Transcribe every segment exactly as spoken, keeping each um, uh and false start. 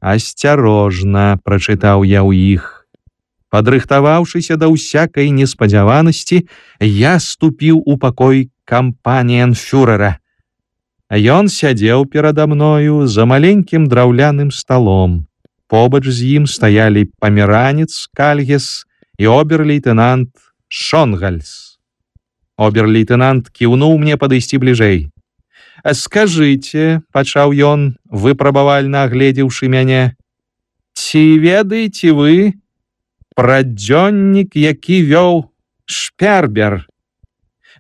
Асцярожна, прачытаў я ў іх. Падрыхтаваўшыся да ўсякай неспадзяванасці, я ступіў у пакой кампаніенфюрэра. Ён сядзеў перада мною за маленькім драўляным сталом. Побач з ім стаялі памеранец Кальгес і обер-лейтенант Шонгальс. Обер-лейтенант кіўнуў мне падысці бліжэй. «Скажыце», — пачаў ён, выпрабавальна агледзеўшы мяне, «ці ведаеце вы пра дзённік, які вёў Шпербер?»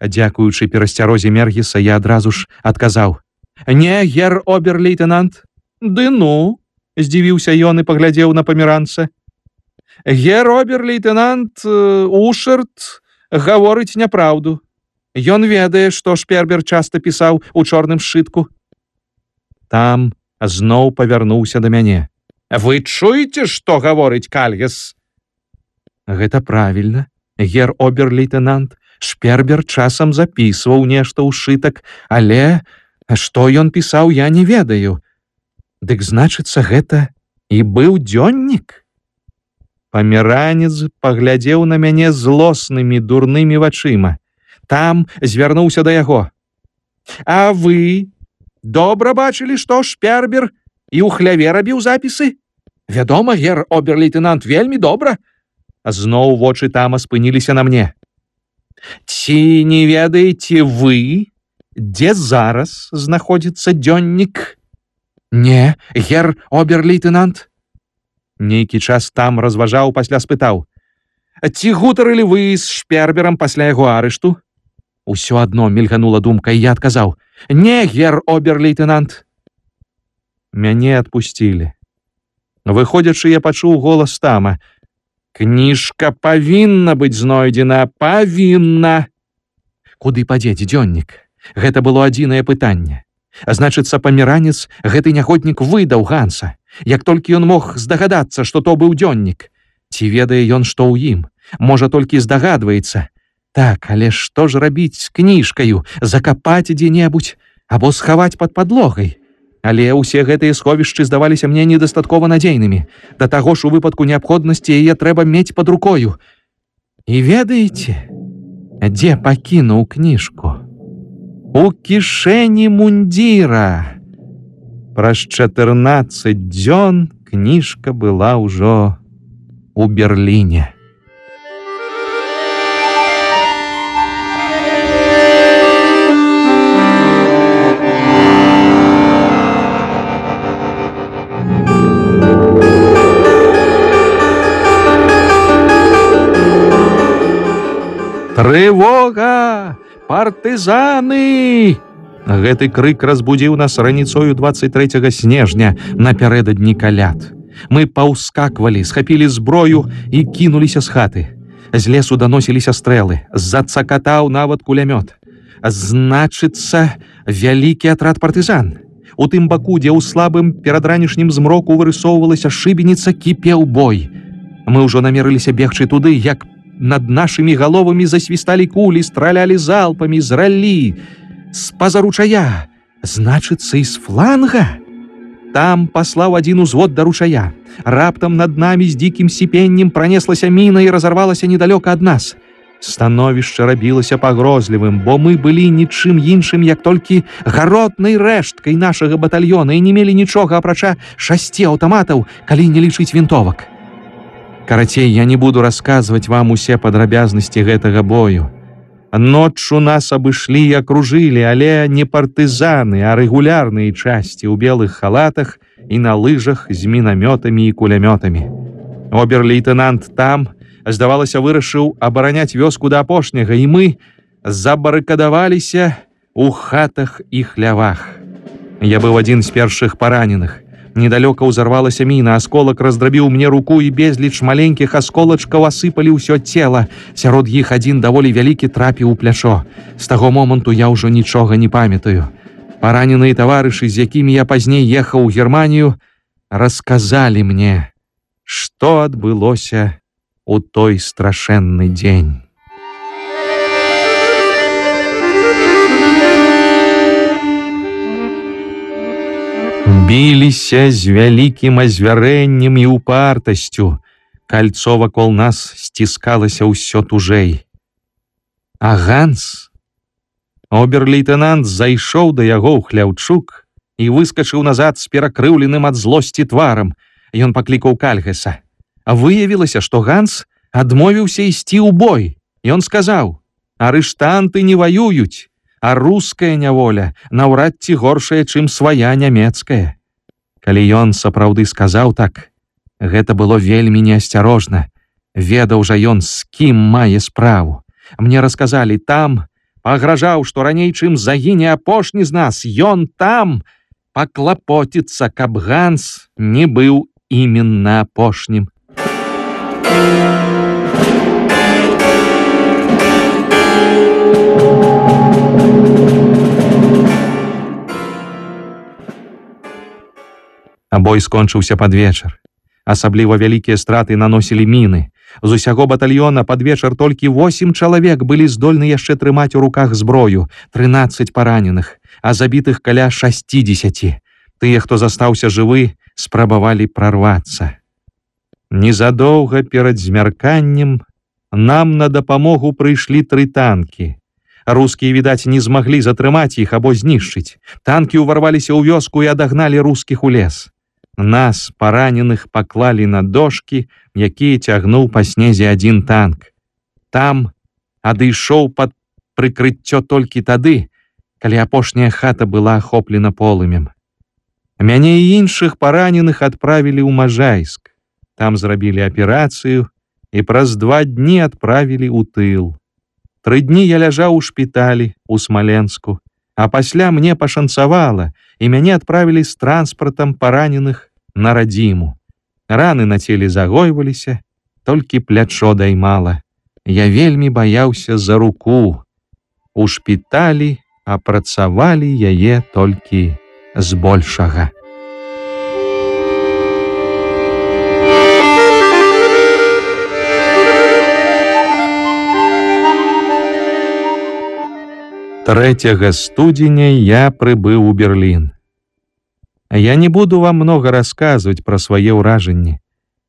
Дзякуючы перасцярозе Мергіса, я адразу ж адказаў: «Не, гер обер-лейтенант». «Ды ну», — здзівіўся ён і паглядзеў на памеранца. «Гер обер-лейтенант Ушарт гаворыць няпраўду. Ён ведае, што Шпербер часта пісаў у чорным сшытку». Там зноў павярнуўся да мяне. «Вы чуеце, што гаворыць Кальгес?» «Гэта правільна, гер обер-лейтенант. Шпербер часам запісваў нешта ў сшытак, але што ён пісаў, я не ведаю. Дык значыцца, гэта і быў дзённік?» Памеранец паглядзеў на мяне злоснымі дурнымі вачыма. Там звярнуўся да яго. «А вы добра бачылі, што Шпербер і ў хляве рабіў запісы?» «Вядома, гер обер-лейтенант, вельмі добра». Зноў вочы Тама спыніліся на мне. «Ці не ведаеце вы, дзе зараз знаходзіцца дзённік?» «Не, гер обер-лейтенант». Нейкі час Там разважаў, пасля спытаў: «Ці гутарылі вы з Шперберам пасля яго арышту?» Усё адно мільганула думка, і я адказаў: «Не, гер обер-лейтенант». Мяне адпусцілі. Выходзячы, я пачуў голас Тама: «Кніжка павінна быць знойдзена, павінна». Куды падзець дзённік? Гэта было адзінае пытанне. Значыцца, памеранец гэты нягоднік выдаў Ганса. Як толькі ён мог здагадацца, што то быў дзённік. Ці ведае ён, што ў ім? Можа, толькі здагадваецца. Так, але што ж рабіць з кніжкаю? Закапаць дзе-небудзь або схаваць пад падлогай? Але ўсе гэтыя сховішчы здаваліся мне недастаткова надзейнымі. Да таго ж у выпадку неабходнасці яе трэба мець пад рукою. І ведаеце, дзе пакінуў кніжку? У кішэні мундзіра. Праз чатырнаццаць дзён кніжка была ўжо у Берліне. «Трывога! Партызаны!» Гэты крык разбудзіў нас раніцою дваццаць трэцяга снежня напярэдадні каляд. Мы паўскаквалі, схапілі зброю і кінуліся з хаты. З лесу даносіліся стрэлы, зацакатаў нават кулямёт. Значыцца, вялікі атрад партызан. У тым баку, дзе ў слабым перадранішнім змроку вырысоўвалася шыбеніца, кіпеў бой. Мы ўжо намерыліся бегчы туды, як над нашымі галовамі засвісталі кулі, стралялі залпамі, зралі. З-па-за ручая, значыцца, і з фланга. Там паслаў адзін узвод да ручая. Раптам над намі з дзікім сіпеннем пранеслася міна і разарвалася недалёка ад нас. Становішча рабілася пагрозлівым, бо мы былі нічым іншым, як толькі гаротнай рэшткай нашага батальёна і не мелі нічога, апрача шасці аўтаматаў, калі не лічыць вінтовак. Карацей, я не буду расказваць вам усе падрабязнасці гэтага бою. Ноччу нас абышлі і акружылі, але не партызаны, а рэгулярныя часці ў белых халатах і на лыжах з мінамётамі і кулямётамі. Обер-лейтенант Там, здавалася, вырашыў абараняць вёску да апошняга, і мы забарыкадаваліся ў хатах і хлявах. Я быў адзін з першых параненых. Недалёка ўзарвалася міна, асколак раздрабіў мне руку, і безліч маленькіх асколачкаў асыпалі ўсё цела. Сярод іх адзін даволі вялікі трапіў у плячо. З таго моманту я ўжо нічога не памятаю. Параненыя таварышы, з якімі я пазней ехаў у Германію, расказалі мне, што адбылося у той страшэнны дзень. Біліся з вялікім азвярэннем і упартасцю. Кольцо вакол нас сціскалася ўсё тужэй. А Ганс... Обер-лейтенант зайшоў да яго ў хляўчук і выскачыў назад з перакрыўленым ад злосці тварам. Ён паклікаў Кальгаса. А выявілася, што Ганс адмовіўся ісці ў бой. Ён сказаў: арыштанты не ваююць, а руская няволя наўрад ці горшая, чым свая нямецкая. Калі ён сапраўды сказаў так, гэта было вельмі неасцярожна. Ведаў жа ён, з кім мае справу. Мне расказалі, там пагражаў, што раней, чым загіне апошні з нас, ён там паклапоціцца, каб Ганс не быў іменна апошнім. А бой скончыўся пад вечар. Асабліва вялікія страты наносілі міны. З усяго батальёна пад вечар толькі восем чалавек былі здольны яшчэ трымаць у руках зброю, трынаццаць параненых, а забітых каля шасцідзесяці. Тыя, хто застаўся жывы, спрабавалі прарвацца. Незадоўга перад змярканнем нам на дапамогу прыйшлі тры танкі. Рускія, відаць, не змаглі затрымаць іх або знішчыць. Танкі ўварваліся ў вёску і адагналі рускіх у лес. Нас, параненых, паклалі на дошкі, якія цягнуў па снезе адзін танк. Там адышоў пад прыкрыццё толькі тады, калі апошняя хата была ахоплена полымем. Мяне і іншых параненых адправілі ў Можайск. Там зрабілі аперацыю і праз два дні адправілі ў тыл. Тры дні я ляжаў у шпіталі ў Смаленску, а пасля мне пашанцавала, і мяне адправілі з транспартам параненых на радзіму. Раны на целе загойваліся, толькі плячо даймала. Я вельмі баяўся за руку. У шпіталі апрацавалі яе толькі збольшага. трэцяга студзеня я прыбыў у Берлін. Я не буду вам много расказваць пра свае ўражанні.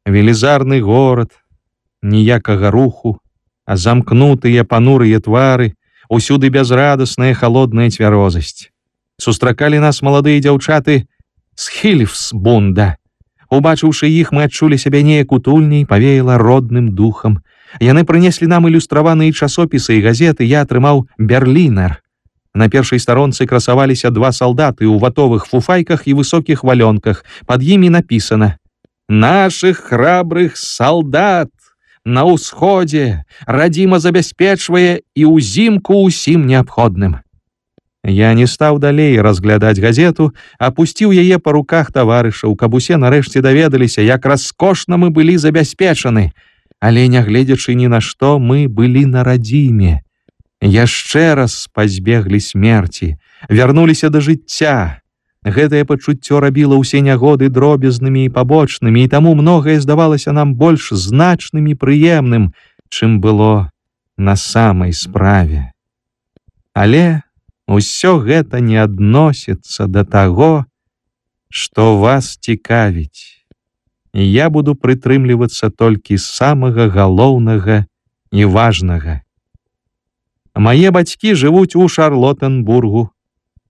Велізарны горад, ніякага руху, а замкнутыя панурыя твары, усюды бязрадасная халодная цвярозасць. Сустракалі нас маладыя дзяўчаты з Хільфсбунда. Убачыўшы іх, мы адчулі сябе неяк утульней, павеяла родным духам. Яны прынеслі нам ілюстраваныя часопісы і газеты, я атрымаў «Берлінер». На першай старонцы красаваліся два салдаты ў ватовых фуфайках і высокіх валёнках. Пад імі напісана: «Нашых храбрых салдат на ўсходзе радзіма забяспечвае і ўзімку ўсім неабходным». Я не стаў далей разглядаць газету, апусціў яе па руках таварышаў, каб усе нарэшце даведаліся, як раскошна мы былі забяспечаны. Але, нягледзячы ні на што, мы былі на радзіме. Яшчэ раз пазбеглі смерці, вярнуліся да жыцця. Гэтае пачуццё рабіла ўсе нягоды дробязнымі і пабочнымі, і таму многае здавалася нам больш значным і прыемным, чым было на самай справе. Але усё гэта не адносіцца да таго, што вас цікавіць. І я буду прытрымлівацца толькі самага галоўнага і важнага. Мае бацькі жывуць у Шарлоттенбургу.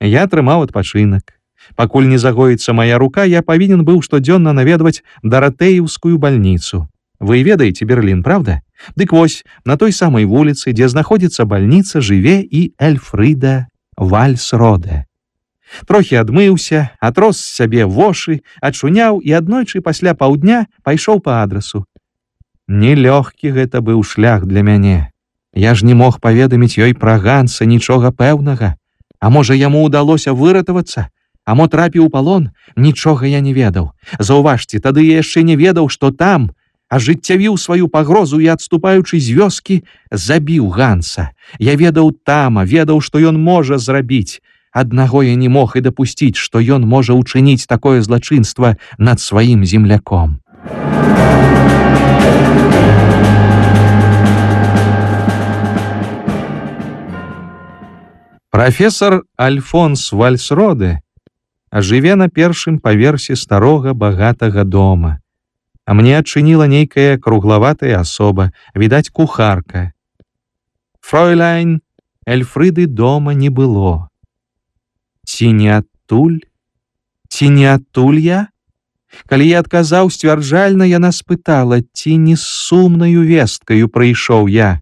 Я атрымаў адпачынак. Пакуль не загоіцца мая рука, я павінен быў штодзённа наведваць Даратэеўскую бальніцу. Вы ведаеце Берлін, правда? Дык вось, на той самай вуліцы, дзе знаходзіцца бальніца, жыве і Эльфрыда Вальсроде. Трохі адмыўся, атрос з сябе вошы, ачуняў і аднойчы пасля паўдня пайшоў па адрасу. Нелёгкі гэта быў шлях для мяне. Я ж не мог паведаміць ёй пра Ганса нічога пэўнага. А можа, яму ўдалося выратавацца? А мо трапіў у палон? Нічога я не ведаў. Заўважце, тады я яшчэ не ведаў, што там ажыццявіў сваю пагрозу і, адступаючы з вёскі, забіў Ганса. Я ведаў тама, ведаў, што ён можа зрабіць. Аднаго я не мог і дапусціць, што ён можа ўчыніць такое злачынства над сваім земляком. Прафесор Альфонс Вальсроде а жыве на першым паверсе старога багатага дома. А мне адчыніла нейкая круглаватая асоба, відаць, кухарка. Фройляйн Эльфрыды дома не было. Ці не адтуль? Ці не адтуль я? Калі я адказаў сцвярджальна, яна спытала, ці не з сумнаю весткаю прыйшоў я.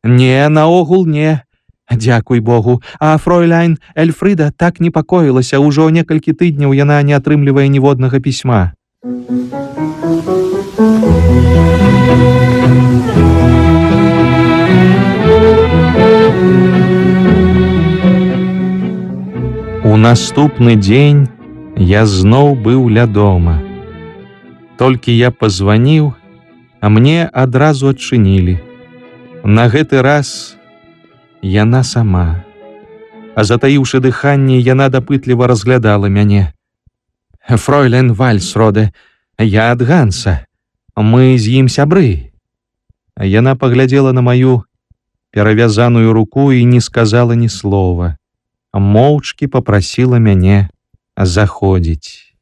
Не, наогул не. Дзякуй Богу. А фройляйн Эльфрыда так непакоілася, ўжо некалькі тыдняў яна не атрымлівае ніводнага пісьма. У наступны дзень я зноў быў ля дома. Толькі я пазваніў, а мне адразу адчынілі. На гэты раз яна сама. А затаіўшы дыханне, яна дапытліва разглядала мяне. Фройляйн Вальсроде, я ад Ганса. Мы з ім сябры. Яна паглядзела на маю перавязаную руку і не сказала ні слова. Моўчкі попрасіла мяне заходзіць.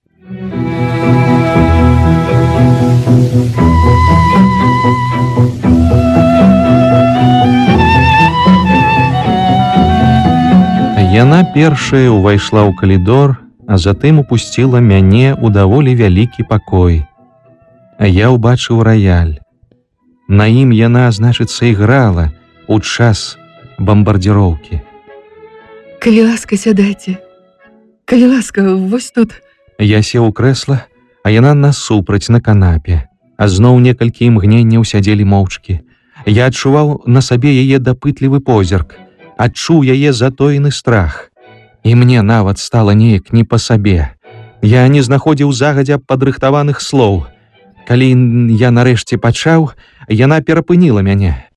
Яна першая ўвайшла ў калідор, а затым упусціла мяне ў даволі вялікі пакой. А я ўбачыў раяль. На ім яна, значыцца, іграла ў час бамбардзіроўкі. Калі ласка, сядайце. Калі ласка, вось тут. Я сеў у крэсла, а яна насупраць на канапе. А зноў некалькі імгненняў сядзелі моўчкі. Я адчуваў на сабе яе дапытлівы позірк, адчуў яе затоены страх. І мне нават стала неяк не па сабе. Я не знаходзіў загадзя падрыхтаваных слоў. Калі я нарэшце пачаў, яна перапыніла мяне.